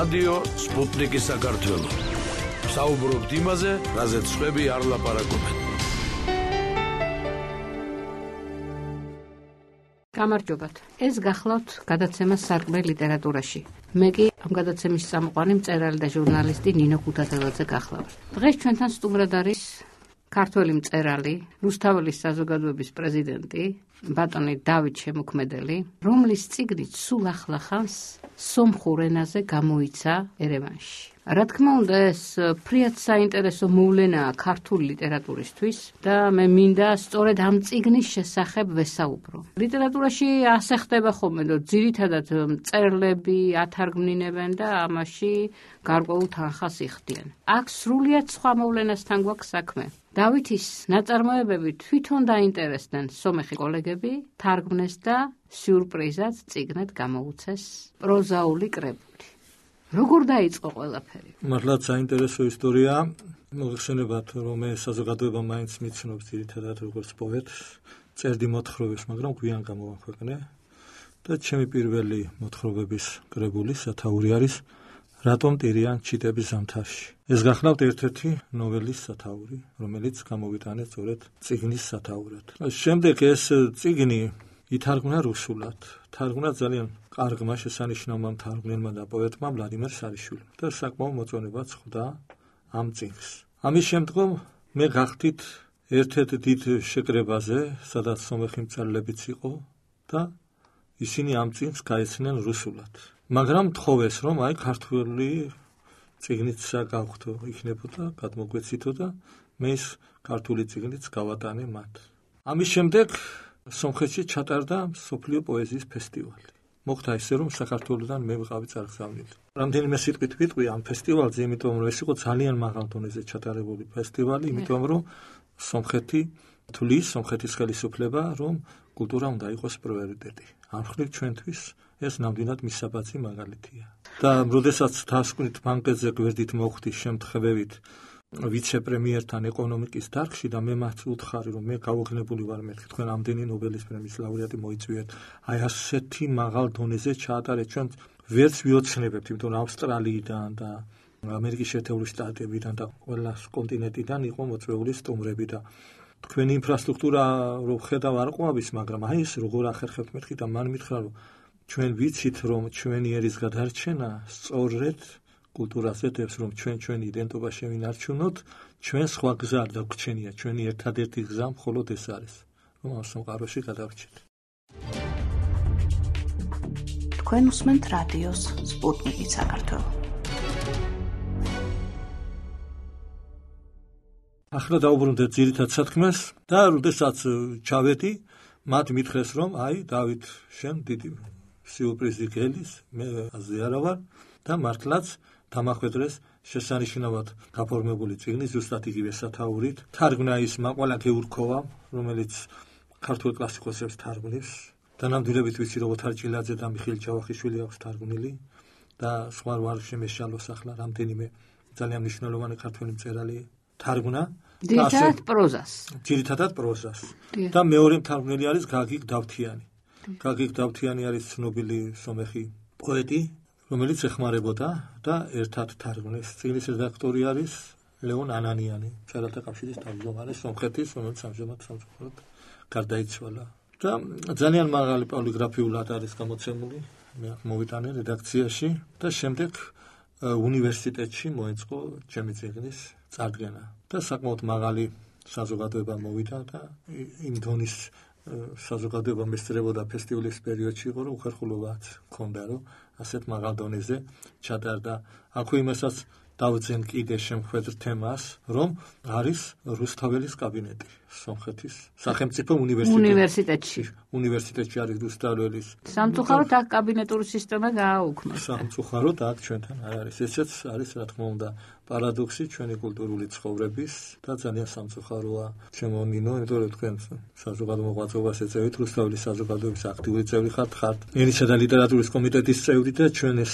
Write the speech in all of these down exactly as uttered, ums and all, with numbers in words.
რადიო სპუტნიკი საქართველო. საუბრობთ იმაზე, რაზეც სხვები არ ლაპარაკობენ. გამარჯობათ. ეს გახლავთ გადაცემა სარკმელი ლიტერატურაში. მე კი ამ გადაცემის წამყვანი მწერალი და ჟურნალისტი ნინო ქუთათელაძე გახლავთ. დღეს ჩვენთან სტუმრად არის ქართველი მწერალი, რუსთაველის საზოგადოების პრეზიდენტი, ბატონი დავით შემოქმედელი, რომლის წიგნით სულ ახლახანს სომხურ ენაზე გამოიცა ერევანში. რა თქმა უნდა, ეს ფრიად საინტერესო მოვლენაა ქართული ლიტერატურისთვის და მე მინდა სწორედ ამ წიგნის შესახებ ვესაუბრო. ლიტერატურაში ასე ხდება ხოლმე, რომ ძირითადად მწერლები ათარგმნინებენ და ამაში გარკვეულ თანხას იხდიან. აქ სრულიად სხვა მოვლენასთან გვაქვს საქმე. დავითის ნაწარმოებები თვითონ დაინტერესდნენ სომეხი კოლეგები, თარგმნეს და სიურპრიზად წიგნად გამოუცეს პროზაული კრებული. როგორ დაიწყო ყველაფერი? მართლაც საინტერესო ისტორია. მოგხსენებათ, რომ მე საზოგადოება მაინც მიცნობს ძირითადად როგორც პოეტს, წერდი მოთხრობებს, მაგრამ გვიან გამოვაქვეყნე და ჩემი პირველი მოთხრობების კრებული სათაური არის რატომ ტირიან ჩიტების ზამთარში. ეს გახლავთ ერთ-ერთი ნოველის სათაური, რომელიც გამოვიტანე სწორედ წიგნის სათაურად. შემდეგ ეს წიგნი ითარგმნა რუსულად. თარგმნა ძალიან კარგმა შესანიშნავმა მთარგმნელმა და პოეტმა ვლადიმერ სარიშვილმა და საკმაო მოწონებაც ხვდა ამ წიგნს. ამის შემდგომ მე გახდით ერთ-ერთ დიდ შეკრებაზე, სადაც სომეხი მწერლებიც იყო და ისინი ამ წიგნს გაეცნენ რუსულად. მაგრამ თხოვეს, რომ აი ქართული წიგნიც გავხდო, იქნებოდა, გადმოგვეცითო და მე ის ქართული წიგნიც გავატანე მათ. ამის შემდეგ სომხეთში ჩატარდა მსოფლიო პოეზიის ფესტივალი. მოხდა ისე, რომ საქართველოდან მე ვიყავი წარგზავნილი. რამდენიმე სიტყვით ვიტყვი ამ ფესტივალზე, იმიტომ რომ ეს იყო ძალიან მაღალ დონეზე ჩატარებული ფესტივალი, იმიტომ რომ სომხეთი თulis, სომხეთის ხელისუფლება, რომ კულტურა უნდა იყოს პრიორიტეტი. ამ მხრივ ჩვენთვის ეს ნამდვილად მისაბაძი მაგალითია. და როდესაც დასკვნით ბანკეტზე გვერდით მოხვდი შემთხვევებით ვიცე-პრემიერთან ეკონომიკის დარგში და მე მათ უთხარი, რომ მე გავოგნებული ვარ, მეთქი თქვენ ამდენი ნობელის პრემიის ლაურეატი მოიწვიეთ, აი ასეთი მაღალ დონეზე ჩაატარეთ, ჩვენ ვერც ვიოცნებებთ, იმიტომ რომ ავსტრალიიდან და ამერიკის შეერთებული შტატებიდან და ყველა კონტინენტიდან იყო მოწვეული სტუმრები და თქვენი ინფრასტრუქტურა რო ხედავ არ ყვავის, მაგრამ აი ეს როგორ ახერხებთ მეთქი და მან მითხრა, რომ ჩვენ ვიცით, რომ ჩვენი ერის გადარჩენა სწორედ კულტურაზე დებს, რომ ჩვენ ჩვენი იდენტობა შევინარჩუნოთ, ჩვენ სხვა გზა არ დაგვრჩენია, ჩვენი ერთადერთი გზა მხოლოდ ეს არის, რომ ამ სამყაროში გადავრჩეთ. თქვენ უსმენთ რადიოს სპუტნიკი საქართველო. ახლა დავუბრუნდეთ ძირითად სათქმეს და როდესაც ჩავედი, მათ მითხრეს, რომ აი დავით, შენ დიდი სიურპრიზი გელის, მე აზე არა ვარ და მართლაც დამახვედრეს შესანიშნავად გაფორმებული წიგნი ზუსტად იგივე სათაურით. თარგმნა ის მაყვალა გეურქოვა, რომელიც ქართულ კლასიკოსებს თარგმნებს. დანამდვილებით ვიცი, რომ ოთარ ჭილაძე და მიხეილ ჯავახიშვილი აქვს თარგმნილი და სხვა ვარ შემეშალოს ახლა რამდენიმე ძალიან მნიშვნელოვანი ქართველი მწერალი თარგმნა. ძირითადად პროზას. ძირითადად პროზას. და მეორე მთარგმნელი არის გაგիկ დავთიანი. გაგիկ დავთიანი არის ცნობილი სომეხი პოეტი, რომელიც ეხმარებოდა და ერთად თარგმნეს. წიგნის რედაქტორი არის ლეონ ანანიანი, მწერალთა კავშირის თავმჯდომარე სომხეთის, რომელიც ამჟამად სამწუხაროდ გარდაიცვალა. და ძალიან მაღალი პოლიგრაფიულად არის გამოცემული, მე აქ მოვიტანე რედაქციაში და შემდეგ უნივერსიტეტში მოეწყო ჩემი წიგნის წარდგენა. და საკმაოდ მაღალი საზოგადოება მოვიდა და იმ დონის საზოგადოება მესწრებოდა ფესტივალის პერიოდში იყო, რომ უხერხულობაც მქონდა, რომ ასეთ მაღალ დონეზე ჩატარდა. აქვე იმასაც დავძენ კიდე შემხვედრ თემას, რომ არის რუსთაველის კაბინეტი სომხეთის სახელმწიფო უნივერსიტეტში. უნივერსიტეტში არის რუსთაველის. სამწუხაროდ აქ კაბინეტური სისტემა გააუქმა. სამწუხაროდ აქ ჩვენთან არ არის. ესეც არის, რა თქმა უნდა, პარადოქსი ჩვენი კულტურული ცხოვრების და ძალიან სამწუხაროა ჩემო ნინო, იმიტომ რომ თქვენ საზოგადო მოღვაწეობას ეწევით, რუსთაველის საზოგადოების აქტიური წევრი ხართ, ხართ ენისა და ლიტერატურის კომიტეტის წევრი და ჩვენ ეს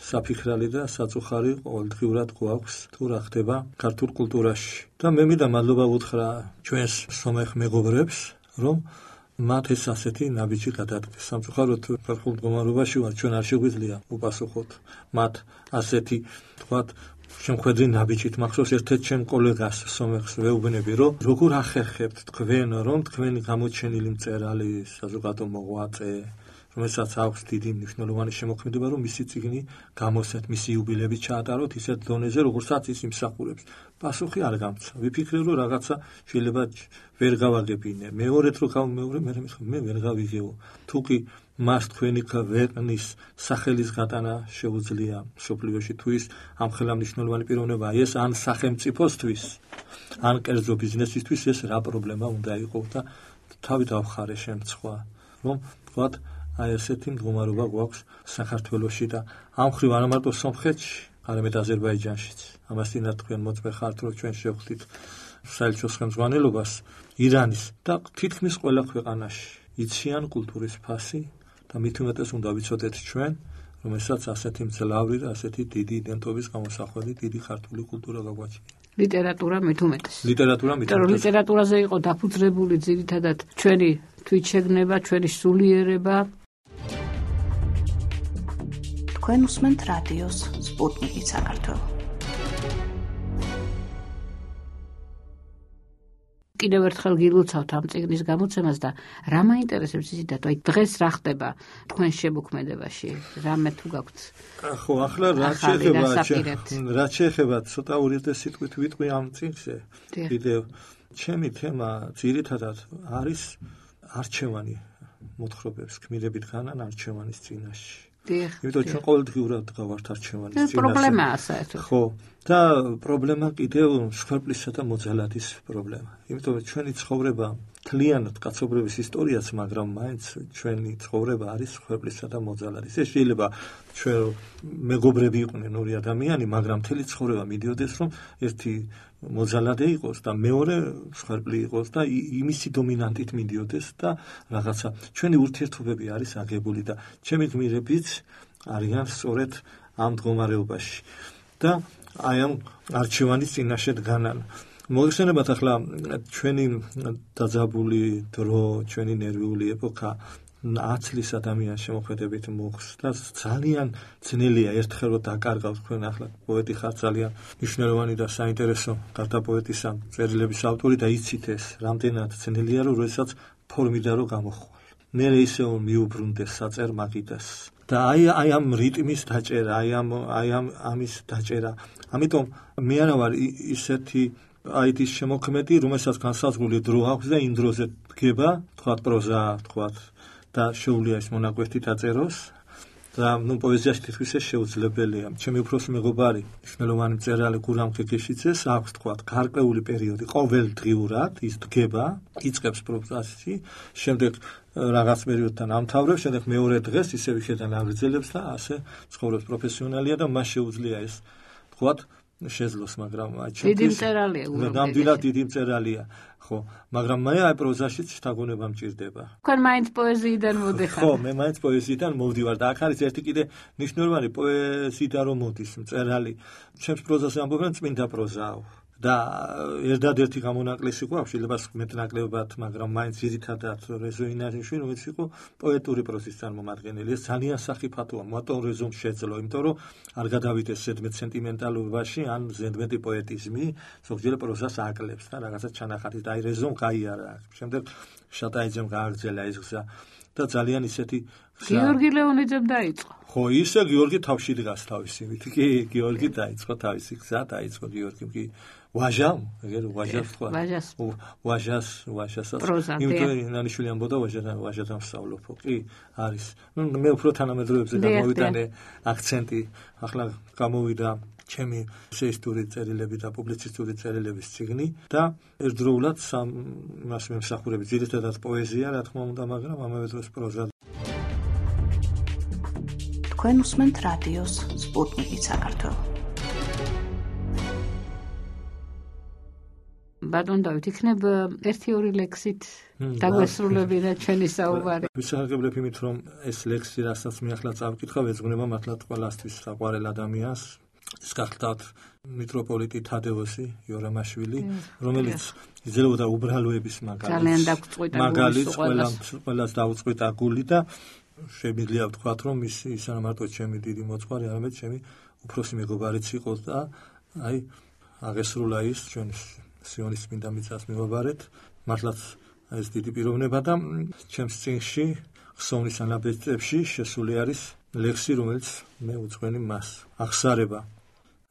საფიქრალი და საწუხარი ყოველდღიურად გვაქვს თუ რა ხდება ქართულ კულტურაში. და მე მინდა მადლობა ვუთხრა ჩვენს სომეხ მეგობრებს, რომ მათ ეს ასეთი ნაბიჯი გადადგეს. სამწუხაროდ ხალხურ მდგომარეობაში ვარ, ჩვენ არ შეგვიძლია უპასუხოთ მათ ასეთი თქვათ შემხედრი ნაბიჯით. მახსოვს ერთ-ერთ ჩემ კოლეგას სომეხს ვეუბნები, რომ როგორ ახერხებთ თქვენ, რომ თქვენი გამოჩენილი მწერალი საზოგადო მოღვაწე, რომელსაც აქვს დიდი მნიშვნელოვანი შემოქმედება, რომ მისი წიგნი გამოსცეთ, მისი იუბილეები ჩაატაროთ ისეთ დონეზე, როგორცაც ის იმსახურებს. პასუხი არ გამცა. ვიფიქრე, რომ რაღაცა შეიძლება ვერ გავაგებინე. მეორედ რო გავმეორე, მე მithom მე ვერ გავიგეო. თუ კი მას თქვენი ქვეყნის სახელის გატანა შეუძლია სოფლიოში, თუ ის ამ ხელა მნიშვნელოვანი პიროვნებაა, ეს ან სახელმწიფოსთვის, ან კერძო ბიზნესისთვის ეს რა პრობლემა უნდა იყოს და თავი დავხარე შემცხვა, რომ თქვათ აი ესეთი მდგომარეობა გვაქვს საქართველოში და ამ ხრივ არა მარტო სომხეთში, არამედ აზერბაიჯანშიც. ამასთანავე თქვენ მოწმე ხართ, რომ ჩვენ შევხვდით საელჩოს ხელმძღვანელობას ირანის და თითქმის ყველა ქვეყანაში იციან კულტურის ფასი და მით უმეტეს უნდა ვიცოდეთ ჩვენ, რომელსაც ასეთი მძლავრი და ასეთი დიდი იდენტობის გამოსახველი დიდი ქართული კულტურა გაგვაჩნია. ლიტერატურა მით უმეტეს. ლიტერატურა მით უმეტეს. ლიტერატურაზე იყო დაფუძნებული ძირითადად ჩვენი თვითშეგნება, ჩვენი სულიერება. თქვენ უსმენთ რადიოს სპუტნიკი საქართველო. კიდევ ერთხელ გილოცავთ ამ წიგნის გამოცემას და რა მაინტერესებს ისედაც, აი დღეს რა ხდება თქვენ შემოქმედებაში, რამე თუ გაქვთ. ხო, ახლა რა შეეხება, რა შეეხება ცოტა ურიდე სიტყვით ვიტყვი ამ წიგნზე. კიდევ ჩემი თემა ძირითადად არის არჩევანი მოთხრობებს გმირებით განან არჩევანის წინაშე. იმიტომ ჩვენ ყოველდღიურად გავართ არჩევანის წინაშე. პრობლემაა საერთოდ. ხო, და პრობლემა კიდევ სხერპლისა და მოძალადის პრობლემა. იმიტომ რომ ჩვენი ცხოვრება მთლიანად კაცობრიობის ისტორიაც, მაგრამ მაინც ჩვენი ცხოვრება არის სხერპლისა და მოძალადის. ეს შეიძლება ჩვენ მეგობრები იყვნენ ორი ადამიანი, მაგრამ მთელი ცხოვრება მიდიოდეს, რომ ერთი მოძალადე იყოს და მეორე სხერპლი იყოს და იმისი დომინანტით მიდიოდეს და რაღაცა ჩვენი ურთიერთობები არის აგებული და ჩემი გმირებიც არიან სწორედ ამ მდგომარეობაში და აი ამ არჩევანის წინაშე დგანან. მოგეხსენებათ ახლა ჩვენი დაძაბული დრო, ჩვენი ნერვიული ეპოქა ათლის ადამიანის შემოქმედებით მოხს და ძალიან ძნელია ერთხელ რომ დაკარგავთ თქვენ ახლა პოეტი ხარ ძალიან მნიშვნელოვანი და საინტერესო გარდა პოეტისა წერილების ავტორი და იცით ეს რამდენად ძნელია რომ როდესაც ფორმირდა რომ გამოხვალ. მე ისე მიუბრუნდეს საწერ მაგიდას და აი აი ამ რიტმის დაჭერა, აი ამ აი ამ ამის დაჭერა. ამიტომ მე არა ვარ ისეთი აი ის შემოქმედი, რომელსაც განსაზღვრული დრო აქვს და იმ დროზე დგება, თქვათ პროზა, თქვათ და შეუძლია ეს მონაკვეთი დაწეროს და ნუ პოეზიაში თითქოს ეს შეუძლებელია. ჩემი უფროსი მეგობარი, მნიშვნელოვანი მწერალი გურამ ქექეშიძეს აქვს თქვათ გარკვეული პერიოდი ყოველდღიურად ის დგება, იწყებს პროზაში, შემდეგ რაღაც პერიოდთან ამთავრებს, შემდეგ მეორე დღეს ისევ იხედან აგრძელებს და ასე ცხოვრობს. პროფესიონალია და მას შეუძლია ეს თქვათ შეძლოს, მაგრამ დიდი მწერალია, ნამდვილად დიდი მწერალია, ხო, მაგრამ მე აი პროზაშიც შთაგონება მჭირდება. თქვენ მაინც პოეზიიდან მოდიხარ. ხო, მე მაინც პოეზიიდან მოვდივარ და აქ არის ერთი კიდე მნიშვნელოვანი პოეზიიდან რომ მოდის მწერალი. ჩემს პროზაზე ამბობენ წმინდა პროზაო. და ერთადერთი გამონაკლისი გვაქვს, შეიძლება მეტნაკლებად, მაგრამ მაინც ძირითადად რეზო ინარიშვილი, რომელიც იყო პოეტური პროზის წარმომადგენელი. ეს ძალიან სახიფათოა, მარტო რეზომ შეძლო, იმიტომ რომ არ გადავიდეს ზედმეტ სენტიმენტალობაში ან ზედმეტი პოეტიზმი, ზოგჯერ პროზას აკლებს და რაღაცა ჩანახატის და აი რეზომ გაიარა. შემდეგ შატაიძემ გააგრძელა ეს გზა და ძალიან ისეთი გიორგი ლეონიძემ დაიწყო. ხო, ისე გიორგი თავში დგას თავისი, კი, გიორგი დაიწყო თავისი გზა, დაიწყო გიორგიმ კი ვაჟამ, ეგერ ვაჟას თქვა. ვაჟას. ვაჟას, ვაჟასაც. იმიტომ ნანიშვილი ამბობდა ვაჟად ვაჟადამ სწავლობო. კი, არის. ნუ მე უფრო თანამედროვეებზე გამოვიტანე აქცენტი. ახლა გამოვიდა ჩემი ესეისტური წერილები და პუბლიცისტური წერილების წიგნი და ერთდროულად სამ იმას მემსახურები, ძირითადად პოეზია, რა თქმა უნდა, მაგრამ ამავე დროს პროზა. თქვენ უსმენთ რადიოს სპუტნიკი საქართველო. ბატონ დავით, იქნებ ერთი ორი ლექსით დაგვესრულებინა ჩვენი საუბარი. ვისაუბრებ იმით, რომ ეს ლექსი, რასაც მე ახლა წავკითხავ, ეძღვნება მართლაც ყველასთვის საყვარელ ადამიანს. ეს გახლავთ მიტროპოლიტი თადევოსი იორამაშვილი, რომელიც იძლეოდა უბრალოების მაგალითს. ძალიან დაგვწყვიტა მაგალითს ყველას დაუწყვიტა გული და შემიძლია ვთქვათ, რომ ის ის არა მარტო ჩემი დიდი მოწყარი, არამედ ჩემი უფროსი მეგობარიც იყო და აი აღესრულა ის ჩვენ სიონის წმინდა მიწას მივაბარეთ. მართლაც ეს დიდი პიროვნება და ჩემს წინში ხსოვნის ანაბეჭდებში შესული არის ლექსი, რომელიც მე უძღვენი მას. აღსარება.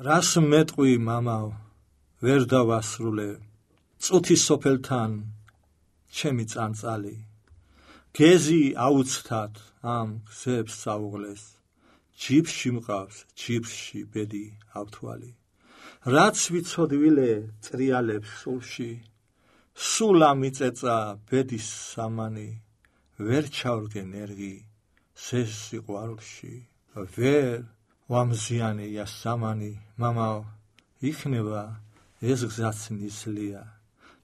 რას მეტყვი მამაო, ვერ დავასრულე, წუთის სოფელთან ჩემი წანწალი. გეზი აუცთად ამ გზებს საუღლეს, ჯიბში მყავს, ჯიბში ბედი ავთვალი. რაც ვიცოდვილე წრიალებს სულში, სულ ამიწეწა ბედის სამანი, ვერ ჩავრგე ნერგი სეს სიყვარულში, ვერ ვამზიანია სამანი, მამაო, იქნება ეს გზაც ნისლია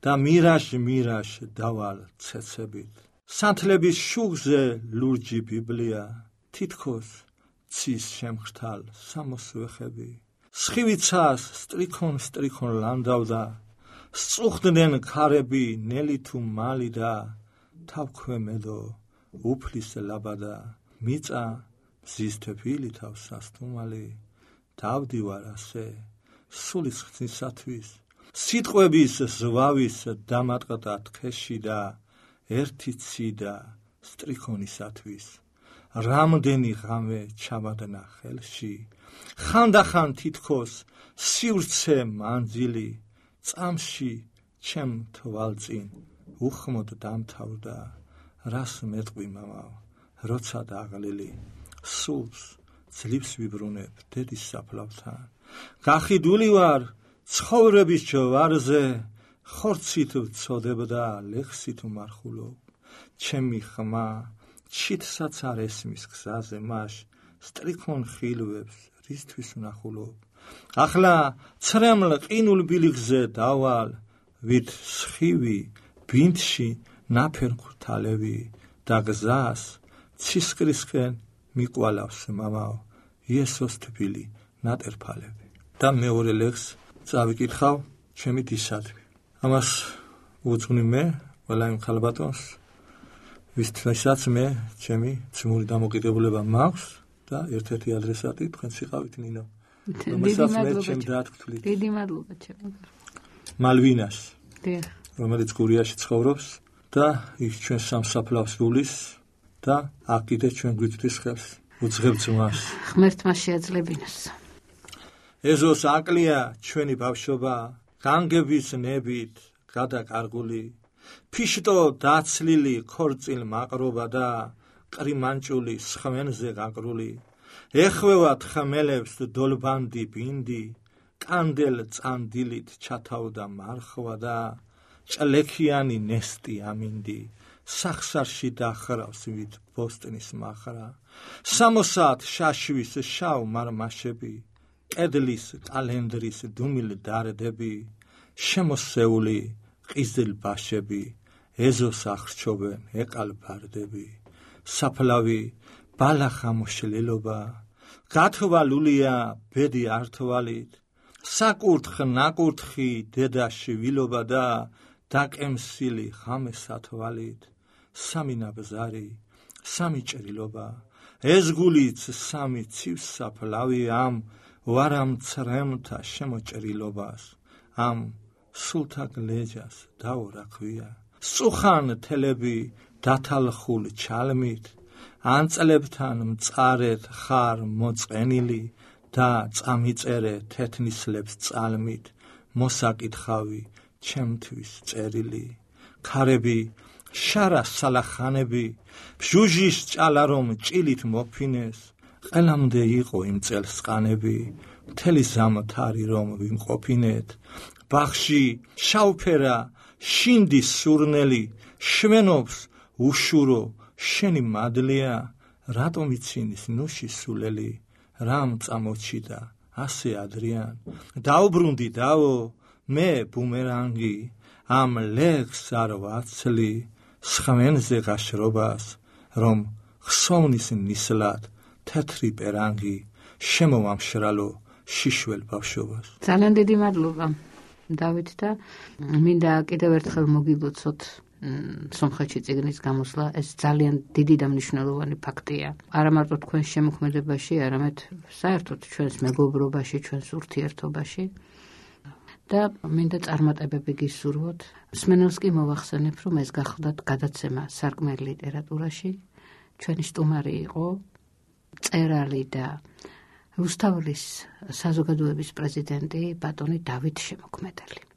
და მირაშ მირაშ დავალ ცეცებით. სანთლების შუღზე ლურჯი ბიბლია, თითქოს ცის შემხრთალ სამოსვეხები. სხივიცას სტრიქონ სტრიქონ ლანდავდა, სწუხდნენ ქარები ნელი თუ მალი და თავქვემედო უფლის ლაბადა. მიწა მზის თეფილი თავს სასტუმალი, დავდივარ ასე სულის ხსნისათვის. სიტყვების ზვავის დამატყდა თხეში და ერთი ციდა სტრიქონისათვის. რამდენი ღამე ჩამადნა ხელში, ხანდახან თითქოს სივრცე მანძილი, წამში ჩემ თვალწინ უხმოდ დამთავრდა. რას მეტყვი მამაო, როცა დაღლილი, სულს ძლივს ვიბრუნებ დედის საფლავთან. გახიდული ვარ ცხოვრების ჯვარზე, ხორცით ვწოდებ და ლექსით ვმარხულობ. ჩემი ხმა ჩიტსაც არ ესმის გზაზე მაშ, სტრიქონ ხილვებს რისთვის ვნახულობ. ახლა ცრემლ ყინულ ბილიქზე დავალ, ვით სხივი ბინდში ნაფერ ქურთალები და გზას ცისკრისკენ მიკვალავს მამაო, იესოს თბილი ნატერფალები. და მეორე ლექსს წავიკითხავ ჩემი დისადმი. ამას უძღვნი მე ყველა იმ ხალბატონს, ვისთვისაც მე ჩემი ძმური დამოკიდებულება მაქვს და ერთ-ერთი ადრესატი თქვენ სიყავით ნინო. რომელსაც მე ჩემ დაათქვით. დიდი მადლობა ჩემო. მალვინას, დიახ, რომელიც გურიაში ცხოვრობს და ის ჩვენ სამსაფლავს გულის და აქ კიდე ჩვენ გვიწვდის ხელს. უძღებთ მას. ღმერთმა შეაძლებინოს. ეზოს აკლია ჩვენი ბავშვობა, განგების ნებით გადაკარგული, ფიშტო დაცლილი ქორწილ მაყრობა და კრიმანჭული სხმენზე გაკრული. ეხვევათ ხმელებს დოლბანდი ბინდი, კანდელ წანდილით ჩათავდა მარხვა და ჭლექიანი ნესტი ამინდი. სახსარში დახრავს ვით ბოსტნის მახრა. სამოსად შაშვის შავ მარმაშები, კედლის კალენდრის დუმილ დარდები, შემოსეული ყიზილ ბაშები, ეზოს ახრჩობენ ეყალ ბარდები. საფლავი ბალახამოშლილობა, გათვალულია ბედი ართვალით, საკურთხ ნაკურთხი დედა შვილობა და დაკემსილი ხამესათვალით. სამი ნაბზარი, სამი ჭრილობა, ეს გულიც სამი ცივს საფლავი ამ ვარამცრემთა შემოჭრილობას, ამ სულთა გლეჯას დაურაქვია. სწუხან თელები დათალხულ ჩალმით, ანწლებთან მწარეთ ხარ მოწყენილი და წამიწერე თეთნისლებს წალმით, მოსაკითხავი ჩემთვის წერილი. ქარები შარა სალახანები, ბჟუჟის ჭალა რომ ჭილით მოფინეს, ყელამდე იყო იმ წელს ყანები, მთელი ზამთარი რომ ვიმყოფინეთ. ბახში შავფერა შინდის სურნელი, შვენობს უშურო შენი მადლია, რატომ ცინის ნუში სულელი, რამ წამოჩიდა ასე ადრიან. დაუბრუნდი დავო მე ბუმერანგი, ამ ლექს არ ვაცლი, სხმენზე გაშრობას, რომ ხსოვნის ნისლად თეთრი პერანგი, შემოვამშრალო შიშველ ბავშვობას. ძალიან დიდი მადლობა დავით და მინდა კიდევ ერთხელ მოგილოცოთ სომხეთში წიგნის გამოსვლა. ეს ძალიან დიდი და მნიშვნელოვანი ფაქტია. არა მარტო თქვენს შემოქმედებაში, არამედ საერთოდ ჩვენს მეგობრობაში, ჩვენს ურთიერთობაში. და მინდა წარმატებები გისურვოთ. მსმენელს კი მოვახსენებ, რომ ეს გახლდათ გადაცემა სარკმელი ლიტერატურაში. ჩვენი სტუმარი იყო მწერალი და რუსთაველის საზოგადოების პრეზიდენტი ბატონი დავით შემოქმედელი.